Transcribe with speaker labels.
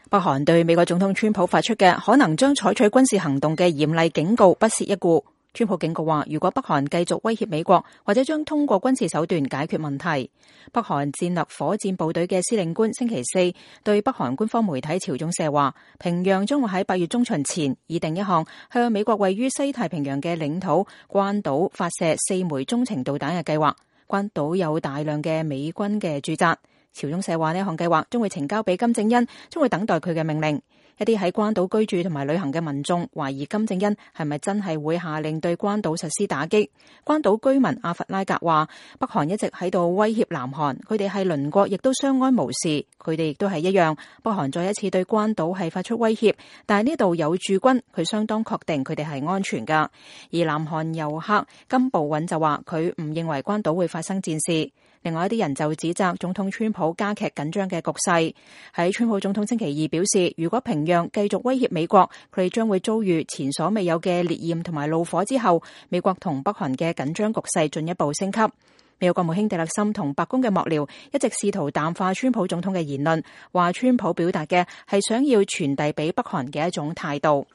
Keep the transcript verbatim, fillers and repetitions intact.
Speaker 1: 北韓對美國總統川普發出嘅可能將採取軍事行動嘅嚴厲警告不屑一顧。川普警告話，如果北韓繼續威脅美國，或者將通過軍事手段解決問題。北韓戰略火箭部隊嘅司令官星期四對北韓官方媒體朝中社話，平壤將會喺八月中旬前擬定一項向美國位於西太平洋嘅領土關島發射四枚中程導彈嘅計劃。關島有大量嘅美軍嘅駐紮。朝中社話，呢項計劃將會呈交俾金正恩，將會等待佢嘅命令。一啲喺關島居住同埋旅行嘅民眾懷疑金正恩係咪真係會下令對關島實施打擊。關島居民阿弗拉格話，北韓一直喺度威脅南韓，佢哋係鄰國，亦都相安無事。佢哋亦都係一樣。北韓再一次對關島係發出威脅，但係呢度有駐軍，佢相當確定佢哋係安全噶。而南韓遊客金部允就話，佢唔認為關島會發生戰事。另外一啲人就指責總統川普加劇緊張嘅局勢。喺川普總統星期二表示，如果平壤繼續威脅美國，佢哋將會遭遇前所未有嘅烈焰同埋怒火之後，美國同北韓嘅緊張局勢進一步升級。美國國務卿蒂勒森同白宮嘅幕僚一直試圖淡化川普總統嘅言論，話川普表達嘅係想要傳遞俾北韓嘅一種態度。